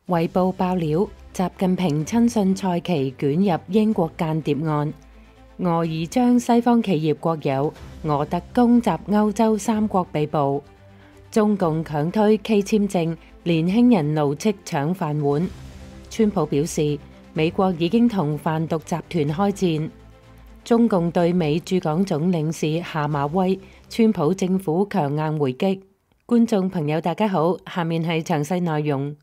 衛報爆料，習近平親信蔡奇捲入英國間諜案，俄疑將西方企業國有俄特攻襲歐洲3國被捕，中共強推 K 簽證，年輕人怒斥搶飯碗。川普表示，美國已經同販毒集團開戰。中共對美駐港總領事下馬威，川普政府強硬回擊。觀眾朋友大家好，下面係詳細內容。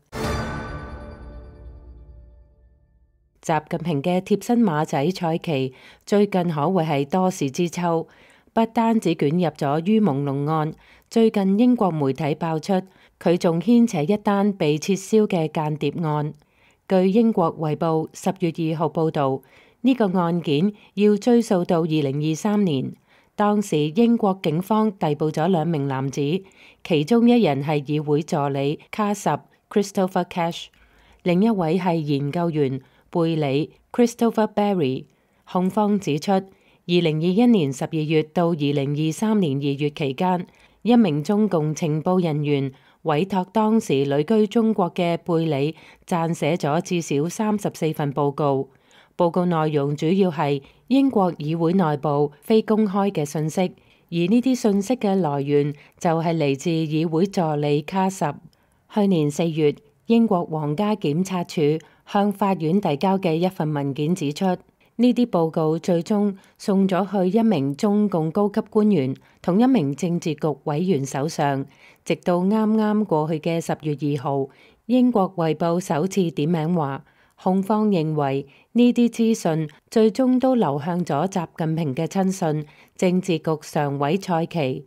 習近平嘅貼身馬仔蔡奇最近可謂係多事之秋，不單止捲入咗於朦朧案，最近英國媒體爆出佢仲牽扯一單被撤銷嘅間諜案。據英國衛報10月2號報導，呢個案件要追溯到2023年，當時英國警方逮捕咗2名男子，其中一人係議會助理卡什 Christopher Cash， 另一位係研究員貝里 Christopher Barry。 控方指出，2021年12月到2023年2月期間，一名中共情報人員委託當時旅居中國嘅貝里撰寫咗至少34份報告，報告內容主要係英國議會內部非公開嘅信息，而呢啲信息嘅來源就係嚟自議會助理卡什。去年4月，英國皇家檢察署向法院遞交嘅一份文件指出，呢啲報告最終送咗去一名中共高級官員同一名政治局委員手上，直到啱啱過去嘅10月2號，英國衛報首次點名話，控方認為呢啲資訊最終都流向咗習近平嘅親信政治局常委蔡奇。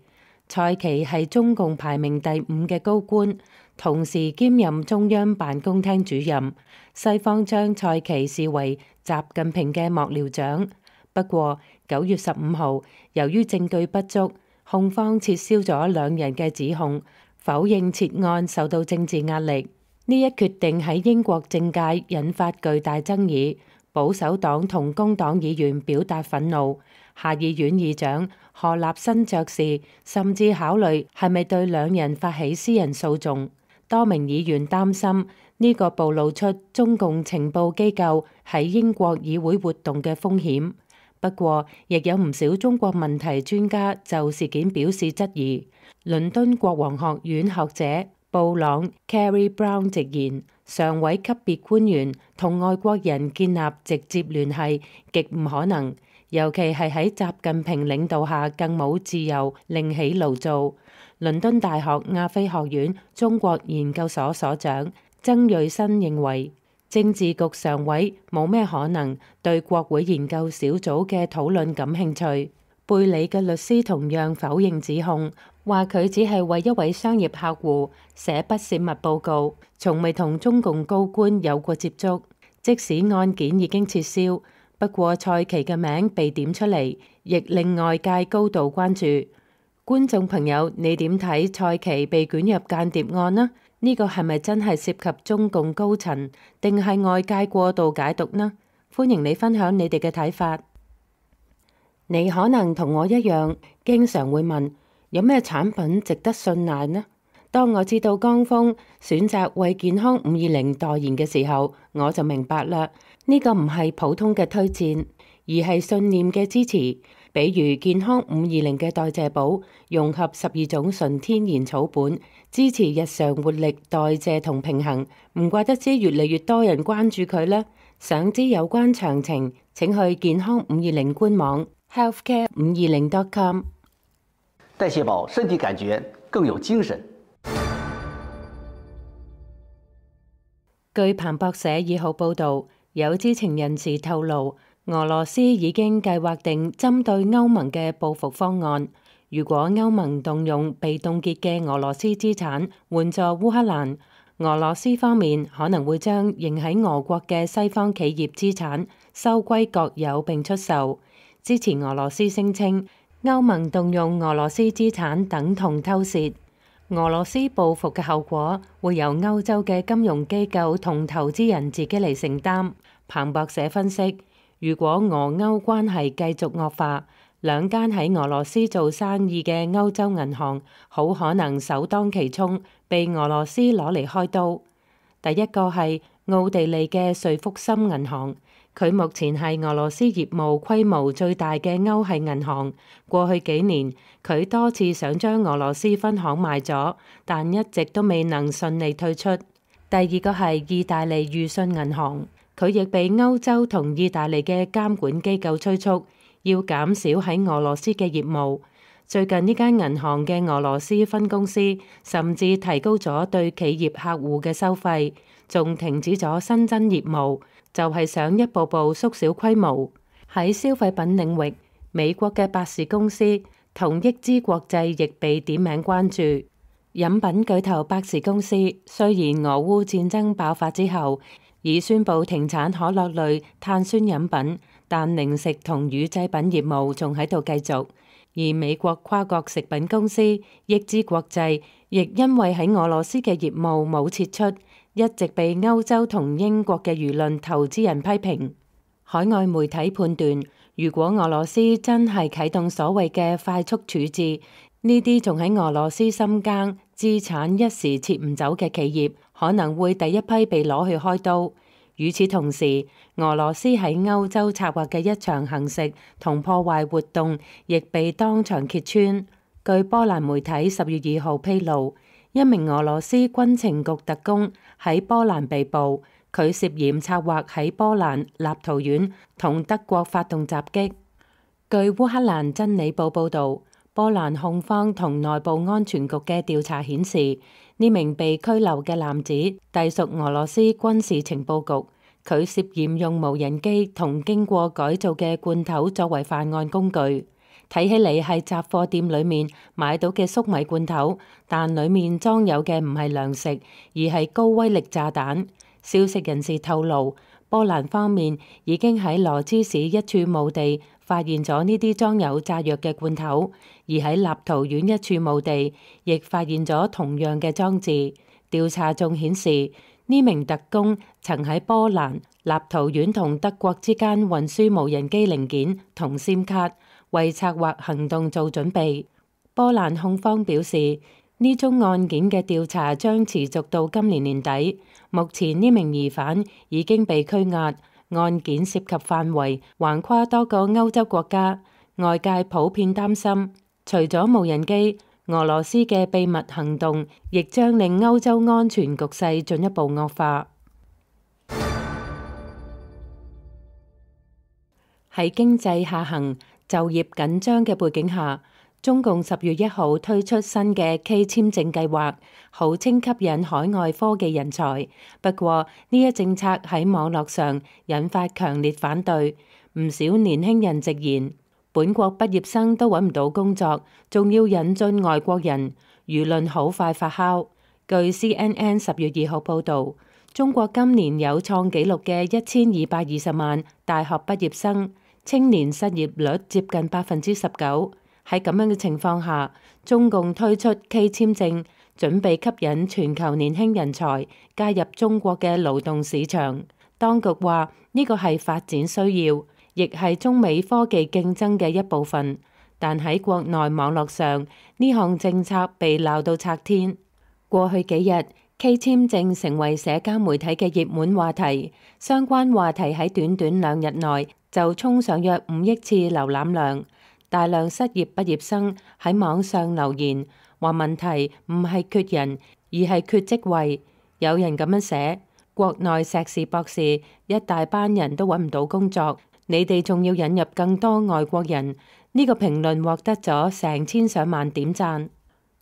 蔡奇係中共排名第5嘅高官，同時兼任中央辦公廳主任。西方將蔡奇視為習近平嘅幕僚長。不過9月15號，由於證據不足，控方撤銷咗2人嘅指控，否認撤案受到政治壓力。呢一決定喺英國政界引發巨大爭議，保守黨同工黨議員表達憤怒，下議院議長何立新爵士甚至考慮係咪對2人發起私人訴訟。多名議員擔心呢個暴露出中共情報機構喺英國議會活動嘅風險。不過，亦有唔少中國問題專家就事件表示質疑。倫敦國王學院學者布朗 Carrie Brown 直言，常委級別官員同外國人建立直接聯繫極唔可能，尤其係喺習近平領導下更冇自由另起爐灶。倫敦大學亞非學院中國研究所所長曾瑞新認為，政治局常委冇咩可能對國會研究小組嘅討論感興趣。貝里嘅律師同樣否認指控，話佢只係為一位商業客戶寫不泄密報告，從未同中共高官有過接觸。即使案件已經撤銷，不過蔡奇嘅名被點出嚟，亦令外界高度關注。觀眾朋友，你點睇蔡奇被捲入間諜案呢？呢個係咪真係涉及中共高層，定係外界過度解讀呢？歡迎你分享你哋嘅睇法。你可能同我一樣，經常會問有咩產品值得信賴呢？當我知道江峰選擇為健康520代言嘅時候，我就明白啦。呢個唔係普通嘅推薦，而係信念嘅支持。比如健康520嘅代謝寶融合12種純天然草本，支持日常活力、代謝同平衡，唔怪得知越嚟越多人關注佢啦。想知有關詳情，請去健康520官網 healthcare520.com。代謝寶身體感覺更有精神。據彭博社2號報導，有知情人士透露，俄羅斯已經計劃定針對歐盟嘅報復方案。如果歐盟動用被凍結嘅俄羅斯資產援助烏克蘭，俄羅斯方面可能會將仍喺俄國嘅西方企業資產收歸國有並出售。支持俄羅斯聲稱，歐盟動用俄羅斯資產等同偷竊。俄羅斯報復嘅後果會由歐洲嘅金融機構同投資人自己嚟承擔。彭博社分析，如果俄歐關係繼續惡化，2間喺俄羅斯做生意嘅歐洲銀行好可能首當其衝，被俄羅斯攞嚟開刀。第一個係奧地利嘅瑞福森銀行，佢目前係俄羅斯業務規模最大嘅歐系銀行。過去幾年，佢多次想將俄羅斯分行賣咗，但一直都未能順利退出。第二個係意大利裕信銀行，佢亦被歐洲同意大利嘅監管機構催促，要減少喺俄羅斯嘅業務。最近呢間銀行嘅俄羅斯分公司甚至提高咗對企業客戶嘅收費，仲停止咗新增業務，就係想一步步縮小規模。喺消費品領域，美國嘅百事公司同益之國際亦被點名關注。飲品巨頭百事公司雖然俄烏戰爭爆發之後已宣布停產可樂類碳酸飲品，但零食同乳製品業務仲喺度繼續。而美國跨國食品公司益之國際亦因為喺俄羅斯嘅業務冇撤出，一直被歐洲同英國嘅輿論投資人批評。海外媒體判斷，如果俄羅斯真係啟動所謂嘅快速處置，呢啲仲喺俄羅斯深耕、資產一時撤唔走嘅企業，可能會第一批被攞去開刀。與此同時，俄羅斯喺歐洲策劃嘅一場行刺同破壞活動，亦被當場揭穿。據波蘭媒體10月2號披露，一名俄羅斯軍情局特工喺波蘭被捕，佢涉嫌策劃喺波蘭、立陶宛同德國發動襲擊。據烏克蘭真理報報導，波蘭控方同內部安全局嘅調查顯示，呢名被拘留嘅男子隸屬俄羅斯軍事情報局，佢涉嫌用無人機同經過改造嘅罐頭作為犯案工具。睇起嚟係雜貨店裡面買到嘅粟米罐頭，但裡面裝有嘅唔係糧食，而係高威力炸彈。消息人士透露，波蘭方面已經喺羅茲市一處墓地發現咗呢啲裝有炸藥嘅罐頭，而喺立陶宛一處墓地亦發現咗同樣嘅裝置。調查仲顯示，呢名特工曾喺波蘭、立陶宛同德國之間運輸無人機零件同 SIM 卡，為策劃行動做準備。波蘭控方表示，呢宗案件嘅調查將持續到今年年底。目前呢名疑犯已經被拘押，案件涉及範圍橫跨多個歐洲國家。外界普遍擔心，除咗無人機，俄羅斯嘅秘密行動亦將令歐洲安全局勢進一步惡化。喺經濟下行、就業緊張嘅背景下，中共10月1號推出新嘅 K 簽證計劃，號稱吸引海外科技人才。不過呢一政策喺網絡上引發強烈反對，唔少年輕人直言，本國畢業生都揾唔到工作，仲要引進外國人，輿論好快發酵。據 CNN 10月2號報導，中國今年有創紀錄嘅1220萬大學畢業生，青年失業率接近19%。喺咁樣嘅情況下，中共推出 K 簽證，準備吸引全球年輕人才加入中國嘅勞動市場。當局話呢個係發展需要，亦係中美科技競爭嘅一部分。但喺國內網絡上，呢項政策被鬧到拆天。過去幾日，K 簽證成為社交媒體嘅熱門話題，相關話題喺短短2日內就衝上約5億次瀏覽量。大量失業畢業生喺網上留言，話問題唔係缺人，而係缺職位。有人咁樣寫：國內碩士博士一大班人都揾唔到工作，你哋仲要引入更多外國人。呢個評論獲得咗成千上萬點讚。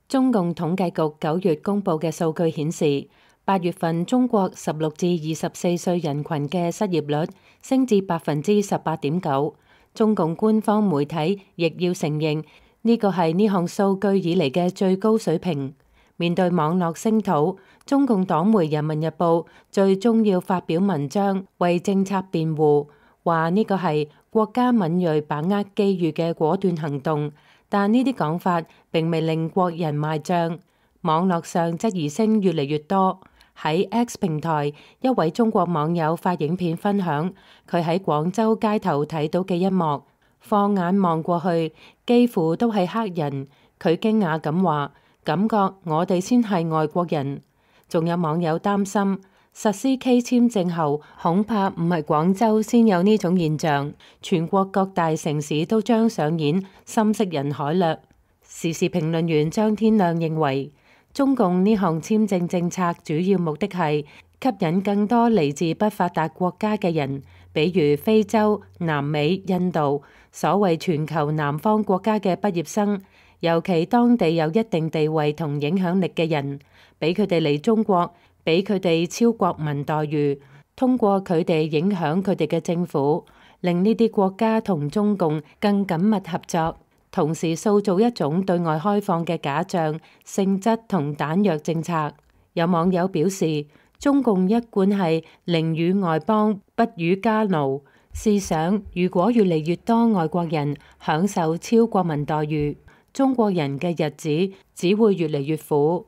中共統計局9月公佈嘅數據顯示，8月份中國16至24歲人群嘅失業率升至18.9%。中共官方媒體亦要承認，呢個係呢項數據以嚟嘅最高水平。面對網絡聲討，中共黨媒《人民日報》最終要發表文章為政策辯護，話呢個係國家敏銳把握機遇嘅果斷行動。但呢啲講法並未令國人買賬，網絡上質疑聲越嚟越多。喺 X 平台，一位中國網友發影片分享佢喺廣州街頭睇到嘅一幕，放眼望過去，幾乎都係黑人。佢驚訝咁話，感覺我哋先係外國人。仲有網友擔心實施 K 簽證後，恐怕唔係廣州先有呢種現象，全國各大城市都將上演深色人海掠。時事評論員張天亮認為，中共呢項簽證政策主要目的係吸引更多嚟自不發達國家嘅人，比如非洲、南美、印度，所謂全球南方國家嘅畢業生，尤其當地有一定地位同影響力嘅人，俾佢哋嚟中國，俾佢哋超國民待遇，通過佢哋影響佢哋嘅政府，令呢啲國家同中共更緊密合作，同時塑造一種對外開放嘅假象、性質同彈藥政策。有網友表示，中共一貫係寧與外邦，不與家奴。試想，如果越嚟越多外國人享受超國民待遇，中國人嘅日子只會越嚟越苦。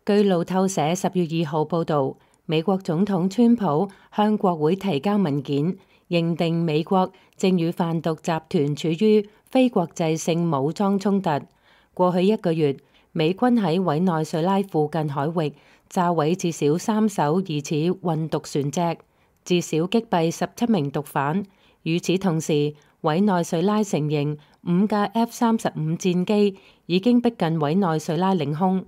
據路透社10月2號報導，美國總統川普向國會提交文件，認定美國正與販毒集團處於非國際性武裝衝突。過去1個月，美軍喺委內瑞拉附近海域炸毀至少3艘疑似運毒船隻，至少擊斃17名毒販。與此同時，委內瑞拉承認5架 F-35戰機已經逼近委內瑞拉領空。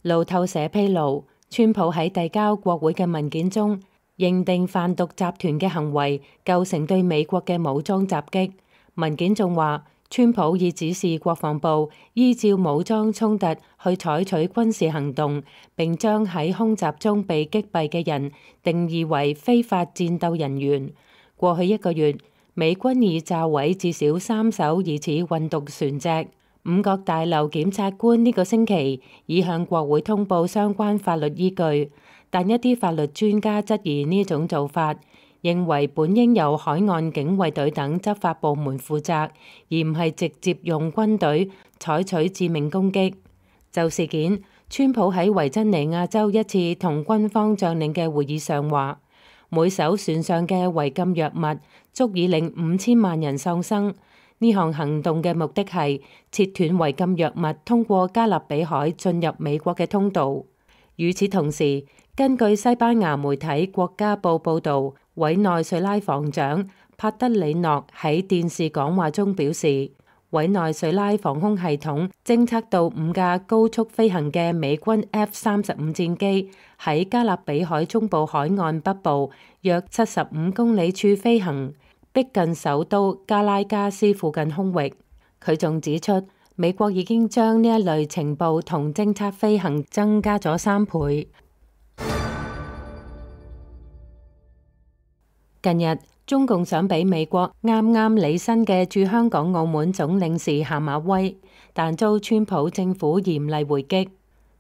路透社披露，川普喺遞交國會嘅文件中，認定販毒集團嘅行為構成對美國嘅武裝襲擊。文件仲話，川普已指示國防部依照武裝衝突去採取軍事行動，並將喺空襲中被擊斃嘅人定義為非法戰鬥人員。過去1個月，美軍已炸毀至少3艘疑似運毒船隻。五角大樓檢察官呢個星期已向國會通報相關法律依據，但一啲法律專家質疑呢種做法，認為本應由海岸警衛隊等執法部門負責，而唔係直接用軍隊採取致命攻擊。就事件，川普喺維珍尼亞州一次同軍方將領嘅會議上話，每艘船上嘅違禁藥物足以令5000萬人喪生。呢項行動嘅目的係切斷違禁藥物通過加勒比海進入美國嘅通道。與此同時，根據西班牙媒體《國家報》報導，委內瑞拉防長帕德里諾喺電視講話中表示，委內瑞拉防空系統偵測到5架高速飛行嘅美軍 F-35戰機喺加勒比海中部海岸北部約75公里處飛行，逼近首都加拉加斯附近空域。佢仲指出，美國已經將呢一類情報同偵測飛行增加咗3倍。近日，中共想俾美國啱啱履新嘅駐香港澳門總領事下馬威，但遭川普政府嚴厲回擊。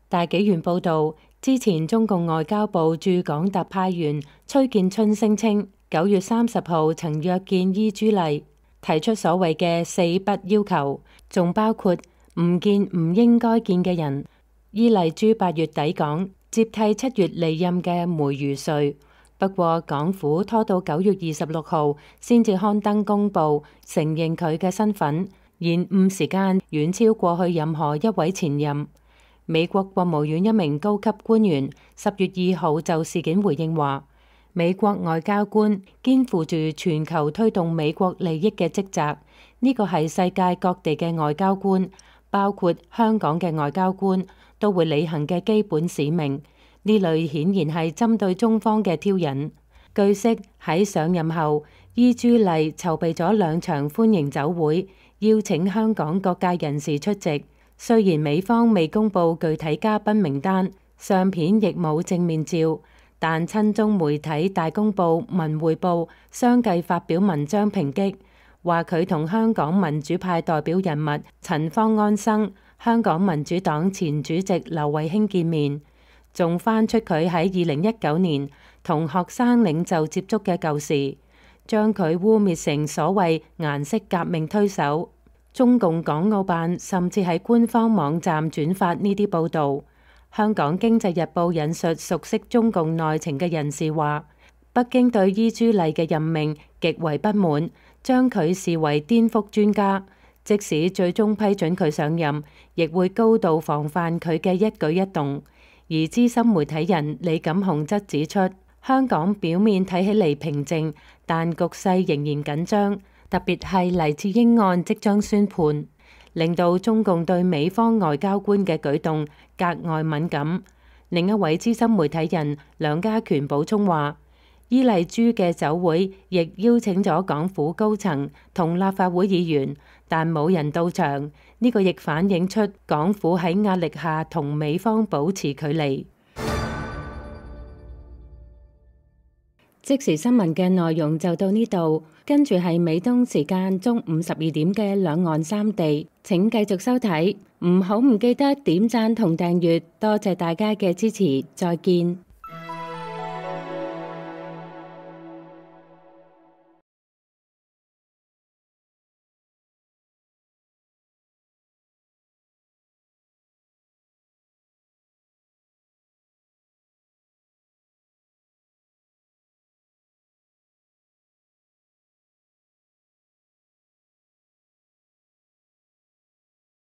大紀元報導，之前中共外交部駐港特派員崔建春聲稱，9月30號曾約見伊朱麗，提出所謂嘅4不要求，仲包括唔見唔應該見嘅人。伊麗珠8月抵港，接替7月離任嘅梅如瑞。不過港府拖到9月26號先至刊登公佈，承認佢嘅身份，延誤時間遠超過去任何一位前任。美國國務院一名高級官員10月2號就事件回應話，美國外交官肩負住全球推動美國利益嘅職責，呢個係世界各地嘅外交官，包括香港嘅外交官都會履行嘅基本使命。呢類顯然係針對中方嘅挑釁。據悉喺上任後，伊朱麗籌備咗2場歡迎酒會，邀請香港各界人士出席。雖然美方未公布具體嘉賓名單，相片亦冇正面照，但親中媒體《大公報》、《文匯報》相繼發表文章抨擊，話佢同香港民主派代表人物陳方安生、香港民主黨前主席劉慧卿見面，仲翻出佢喺2019年同學生領袖接觸嘅舊事，將佢污蔑成所謂顏色革命推手。中共港澳辦甚至喺官方網站轉發呢啲報導。香港經濟日報引述熟悉中共內情嘅人士話，北京對伊朱麗嘅任命極為不滿，將佢視為顛覆專家。即使最終批准佢上任，亦會高度防範佢嘅一舉一動。而資深媒體人李錦雄則指出，香港表面睇起嚟平靜，但局勢仍然緊張，特別係黎智英案即將宣判，令到中共對美方外交官嘅舉動格外敏感。另一位資深媒體人梁家權補充話，伊麗珠嘅酒會亦邀請咗港府高層同立法會議員，但冇人到場。呢個亦反映出港府喺壓力下同美方保持距離。即時新聞嘅內容就到呢度，跟住係美東時間中午12點嘅兩岸三地，請繼續收睇，唔記得點讚同訂閱，多謝大家嘅支持，再見。